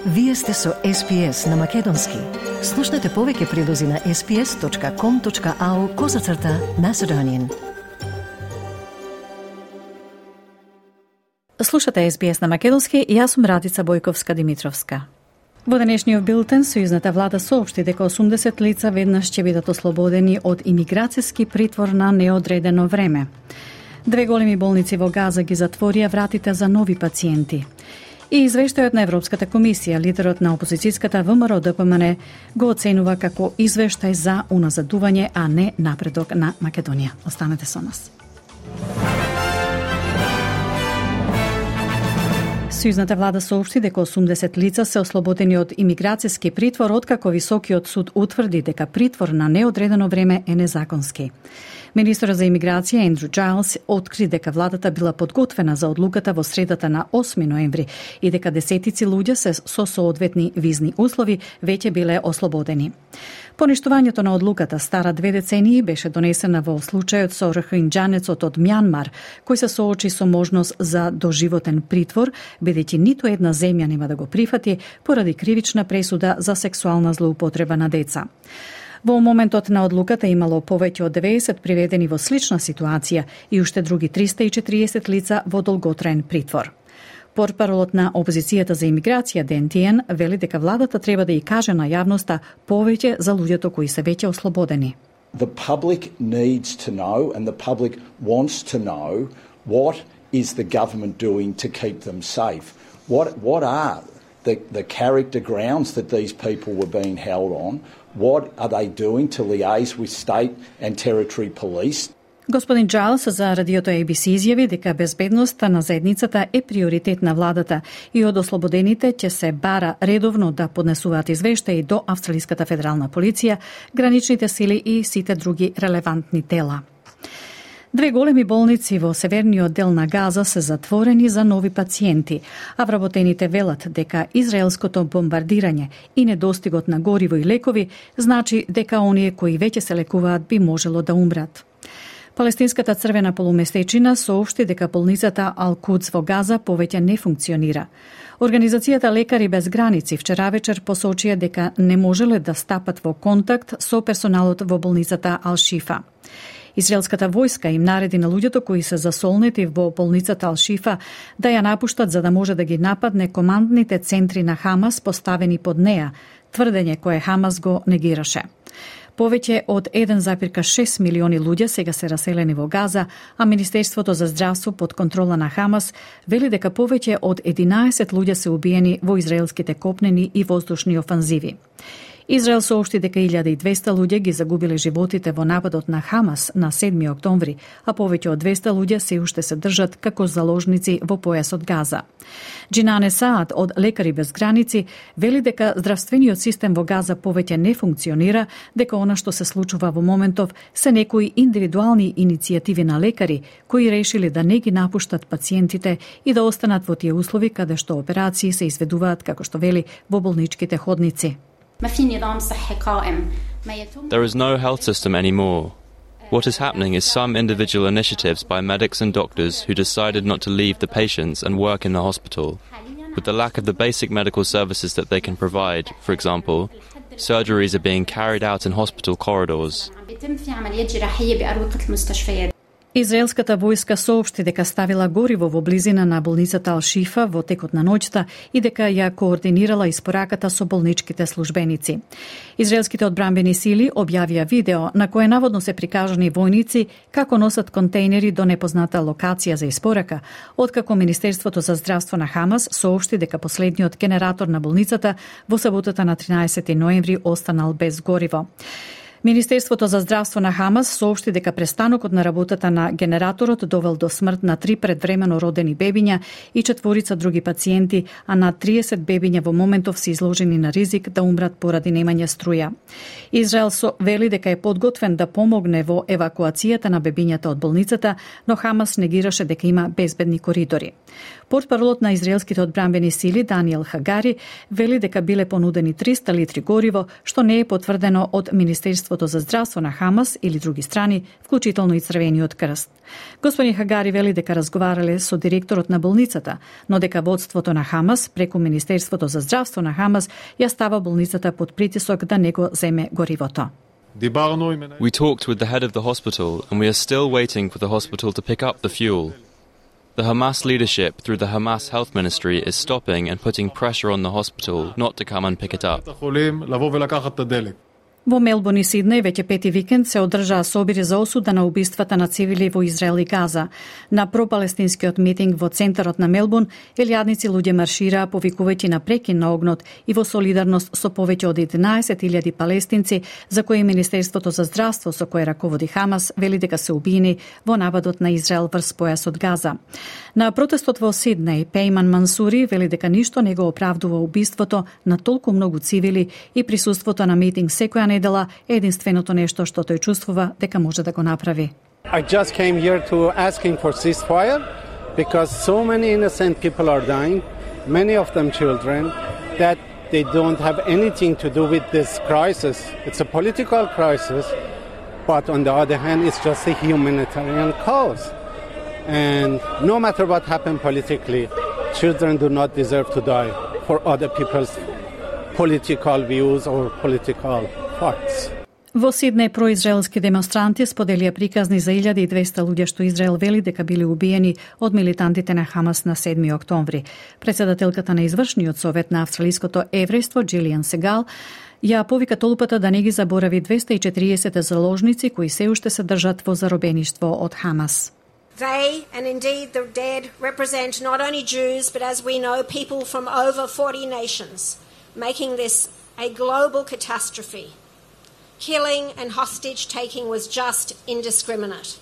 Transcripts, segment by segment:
Вие сте со SPS на Македонски. Слушнете повеќе прилози на sps.com.au/Macedonian. Слушате SBS на Македонски и јас сум Радица Бојковска-Димитровска. Во денешниот билтен, сојузната влада соопшти дека 80 лица веднаш ќе бидат ослободени од имиграцијски притвор на неодредено време. 2 големи болници во Газа ги затворија вратите за нови пациенти. И извештајот на Европската комисија, лидерот на опозицијската ВМРО-ДПМН го оценува како извештај за уназадување, а не напредок на Македонија. Останете со нас. Сојузната влада соопшти дека 80 лица се ослободени од имиграцијски притвор, откако Високиот суд утврди дека притвор на неодредено време е незаконски. Министерот за имиграција Ендрю Джайлс откри дека владата била подготвена за одлуката во средата на 8 ноември и дека десетици луѓе со соодветни визни услови веќе биле ослободени. Поништувањето на одлуката стара 2 децении беше донесена во случајот со рохинџанецот од Мјанмар, кој се соочи со можност за доживотен притвор, бидејќи ниту една земја нема да го прифати поради кривична пресуда за сексуална злоупотреба на деца. Во моментот на одлуката имало повеќе од 90 приведени во слична ситуација и уште други 340 лица во долготраен притвор. Портпаролот на опозицијата за имиграција Ден Тиен вели дека владата треба да ја каже на јавноста повеќе за луѓето кои се веќе ослободени. The public needs to know and the public wants to know what is the government doing to keep them safe. What are the character grounds that these people were being held on? What are they doing to liaise with state and territory police? Господин Джайлс за радиото ABC изјави дека безбедноста на заедницата е приоритет на владата и од ослободените ќе се бара редовно да поднесуваат извештаи до Австралиската федерална полиција, граничните сили и сите други релевантни тела. 2 големи болници во северниот дел на Газа се затворени за нови пациенти, а вработените велат дека израелското бомбардирање и недостигот на гориво и лекови значи дека оние кои веќе се лекуваат би можело да умрат. Палестинската црвена полумесечина соопшти дека болницата Ал-Кудс во Газа повеќе не функционира. Организацијата Лекари без граници вчера вечер посочија дека не можеле да стапат во контакт со персоналот во болницата Ал-Шифа. Израелската војска им нареди на луѓето кои се засолнети во болницата Ал-Шифа да ја напуштат за да може да ги нападне командните центри на Хамас поставени под неа, тврдење кое Хамас го негираше. Повеќе од 1,6 милиони луѓе сега се раселени во Газа, а Министерството за здравство под контрола на Хамас вели дека повеќе од 11 луѓе се убиени во израелските копнени и воздушни офанзиви. Израел соопшти дека 1200 луѓе ги загубиле животите во нападот на Хамас на 7 октомври, а повеќе од 200 луѓе се уште се држат како заложници во појасот Газа. Джинане Саад од Лекари без граници вели дека здравствениот систем во Газа повеќе не функционира, дека она што се случува во моментов се некои индивидуални иницијативи на лекари кои решили да не ги напуштат пациентите и да останат во тие услови каде што операции се изведуваат, како што вели, во болничките ходници. There is no health system anymore. What is happening is some individual initiatives by medics and doctors who decided not to leave the patients and work in the hospital. With the lack of the basic medical services that they can provide, for example, surgeries are being carried out in hospital corridors. Израелската војска соопшти дека ставила гориво во близина на болницата Ал-Шифа во текот на ноќта и дека ја координирала испораката со болничките службеници. Израелските одбранбени сили објавија видео на кое наводно се прикажани војници како носат контейнери до непозната локација за испорака, откако Министерството за здравство на Хамас соопшти дека последниот генератор на болницата во саботата на 13 ноември останал без гориво. Министерството за здравство на Хамас соопшти дека престанокот на работата на генераторот довел до смрт на 3 предвремено родени бебиња и 4 други пациенти, а над 30 бебиња во моментов се изложени на ризик да умрат поради немање струја. Израел вели дека е подготвен да помогне во евакуацијата на бебињата од болницата, но Хамас негираше дека има безбедни коридори. Портпаролот на израелските одбранбени сили Даниел Хагари вели дека биле понудени 300 литри гориво, што не е потврдено од Министерството за здравство на Хамас или други страни, вклучително и Црвениот крст. Господин Хагари вели дека разговарале со директорот на болницата, но дека водството на Хамас преку Министерството за здравство на Хамас ја става болницата под притисок да не го земе горивото. We talked with the head of the hospital and we are still waiting for the hospital to pick up the fuel. The Hamas leadership through the Hamas Health Ministry is stopping and putting pressure on the hospital not to come and pick it up. Во Мелбурн и Сиднеј веќе пети викенд се одржаа собири за осуда на убиствата на цивили во Израел и Газа. На пропалестинскиот митинг во центарот на Мелбурн, илјадници луѓе маршираа повикувајќи на прекин на огнот и во солидарност со повеќе од 11.000 палестинци за кои Министерството за здравство со кое раководи Хамас вели дека се убиени во нападот на Израел врз појасот Газа. На протестот во Сиднеј, Пейман Мансури вели дека ништо не го оправдува убиството на толку многу цивили и присуството на митинг секоја недела е единственото нешто што тој чувствува дека може да го направи. I just came here to asking for ceasefire because so many innocent people are dying, many of them children, that they don't have anything to do with this crisis. It's a political crisis, but on the other hand, it's just a humanitarian cause. And no matter what happened politically, children do not deserve to die for other people's political views or political facts. Во Сиднеј произраелски демонстранти споделија приказни за 1200 луѓе што Израел вели дека биле убиени од милитантите на Хамас на 7 октомври. Председателката на извршниот совет на австралиското еврејство Джилијан Сегал ја повика толпата да не ги заборави 240 заложници кои се уште се држат во заробеништво од Хамас. They, and indeed the dead, represent not only Jews, but as we know, people from over 40 nations, making this a global catastrophe. Killing and hostage-taking was just indiscriminate.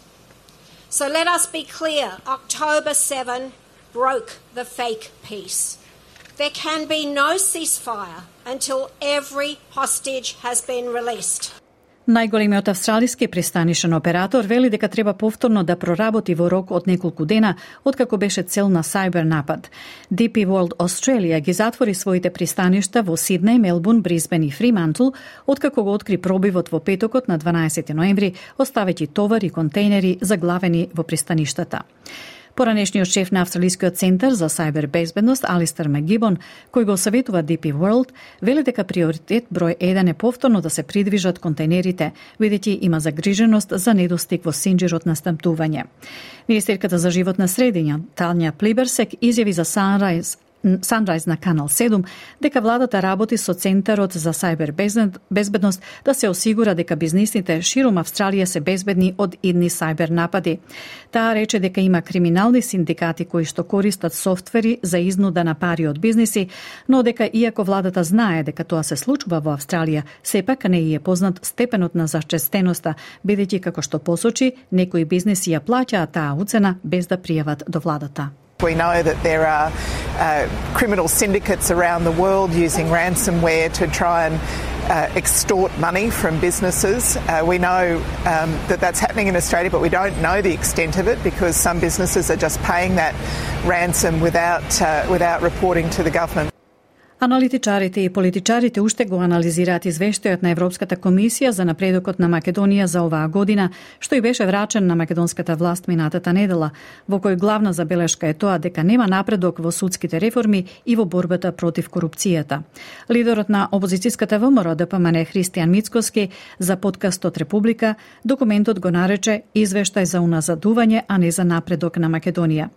So let us be clear, October 7 broke the fake peace. There can be no ceasefire until every hostage has been released. Најголемиот австралиски пристанишен оператор вели дека треба повторно да проработи во рок од неколку дена откако беше цел на сајбер напад. DP World Australia ги затвори своите пристаништа во Сиднеј, Мелбурн, Брисбен и Фримантл откако го откри пробивот во петокот на 12 ноември, оставејќи товар и контейнери заглавени во пристаништата. Поранешниот шеф на Австралискиот центар за сајбер безбедност Алистер Макгибон, кој го советува DP World, вели дека приоритет број 1 е повторно да се придвижат контейнерите, бидејќи има загриженост за недостиг во синџирот на снабдување. Министерката за животна средина Тања Плиберсек изјави за Sunrise на Канал 7 дека владата работи со Центарот за сајбер безбедност да се осигура дека бизнисите широм Австралија се безбедни од идни сајбер напади. Таа рече дека има криминални синдикати кои што користат софтвери за изнуда на пари од бизниси, но дека иако владата знае дека тоа се случува во Австралија, сепак не е познат степенот на зачестеноста, бидејќи како што посочи, некои бизниси ја плаќаат таа уцена без да пријават до владата. We know that there are criminal syndicates around the world using ransomware to try and extort money from businesses. We know that that's happening in Australia, but we don't know the extent of it because some businesses are just paying that ransom without reporting to the government. Аналитичарите и политичарите уште го анализираат извештајот на Европската комисија за напредокот на Македонија за оваа година, што и беше врачен на македонската власт минатата недела, во кој главна забелешка е тоа дека нема напредок во судските реформи и во борбата против корупцијата. Лидерот на опозицијската ВМРО ДПМН Христијан Мицкоски за подкастот Република документот го нарече извештај за уназадување, а не за напредок на Македонија.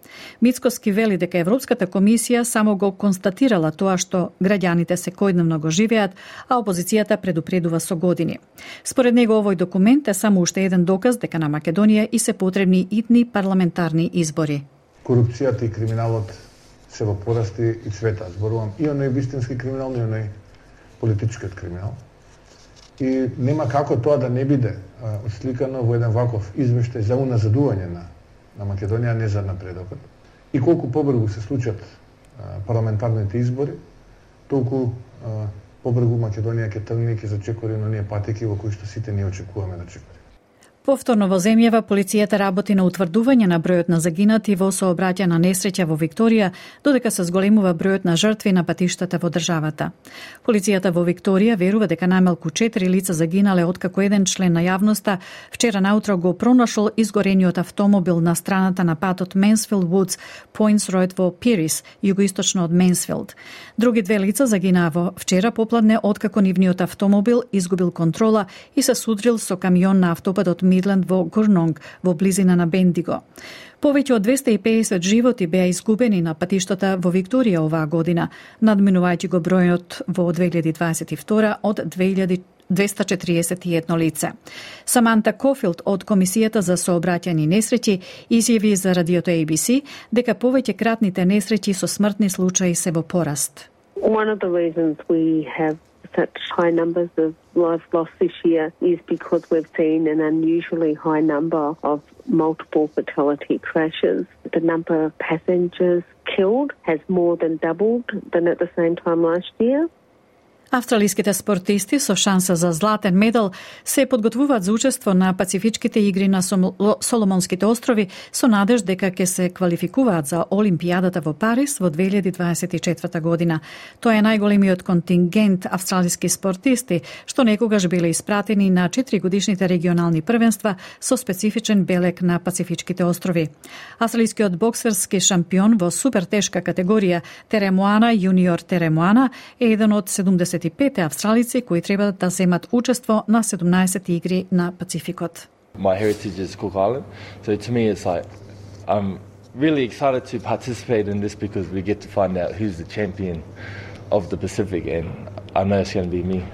Мицкоски вели дека Европската комисија само го констатирала тоа што граѓаните секојдневно го живеат, а опозицијата предупредува со години. Според него овој документ е само уште еден доказ дека на Македонија и се потребни итни парламентарни избори. Корупцијата и криминалот се во порасти и цвета. Зборувам и оној вистински криминал, и оној политичкиот криминал. И нема како тоа да не биде осликано во еден ваков извештај за уназадување на Македонија, не за напредокот. И колку побрзо се случат парламентарните избори, толку побрзо Македонија ќе тргне и ќе зачекори на оние патеки во кои што сите ние очекуваме да чекори. Повторно во земјава, полицијата работи на утврдување на бројот на загинати во сообраќајна несреќа во Викторија, додека се зголемува бројот на жртви на патиштата во државата. Полицијата во Викторија верува дека најмалку 4 лица загинале откако еден член на јавноста вчера наутро го пронашол изгорениот автомобил на страната на патот Менсфилд Вудс, Поинтс Ројд во Пирис, југоисточно од Менсфилд. Други 2 лица загинаа во вчера попладне откако нивниот автомобил изгубил контрола и се судрил со камион на автопатот Мидленд во Гурнонг, во близина на Бендиго. Повеќе од 250 животи беа изгубени на патиштата во Викторија оваа година, надминувајќи го бројот во 2022 од 241 лице. Саманта Кофилд од Комисијата за сообраќајни несреќи изјави за радиото ABC дека повеќе кратните несреќи со смртни случаи се во пораст. One of the reasons we have such high numbers of lives lost this year is because we've seen an unusually high number of multiple fatality crashes. The number of passengers killed has more than doubled than at the same time last year. Австралиските спортисти со шанса за златен медал се подготвуваат за учество на Пацифичките игри на Соломонските острови со надеж дека ќе се квалификуваат за Олимпијадата во Париз во 2024 година. Тоа е најголемиот контингент австралиски спортисти што некогаш биле испратени на 4-годишните регионални првенства со специфичен белег на Пацифичките острови. Австралискиот боксерски шампион во супертешка категорија Теремоана, јуниор Теремоана, е еден од 75 австралици кои треба да земат учество на 17 игри на Пацификот. My heritage is Cook Island, so to me it's like I'm really excited to participate in this because we get to find out who's the champion of the Pacific, and I know it's going to be me.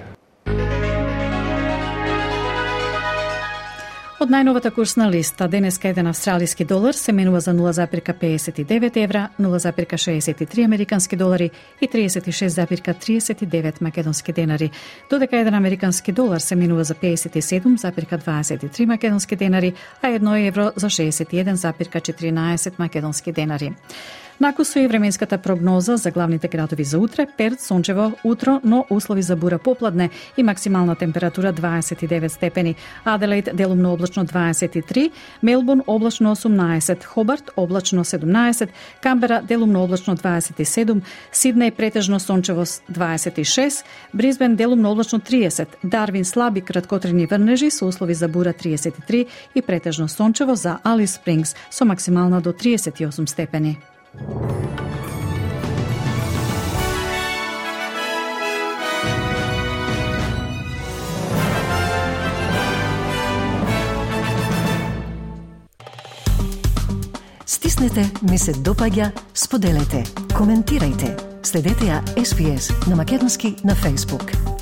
Од најновата курсна листа, денеска еден австралиски долар се менува за 0,59 евра, 0,63 американски долари и 36,39 македонски денари, додека еден американски долар се менува за 57,23 македонски денари, а 1 евро за 61,14 македонски денари. Накусу и временската прогноза за главните градови за утре: Перт сончево утро, но услови за бура попладне и максимална температура 29 степени. Аделаид делумно облачно 23, Мелбурн облачно 18, Хобарт облачно 17, Камбера делумно облачно 27, Сиднеј претежно сончево 26, Брисбен делумно облачно 30, Дарвин слаби краткотрени врнежи со услови за бура 33 и претежно сончево за Алис Спрингс со максимална до 38 степени. Стиснете, ми се допаѓа, споделете, коментирајте. Следете ја SPS на македонски на Facebook.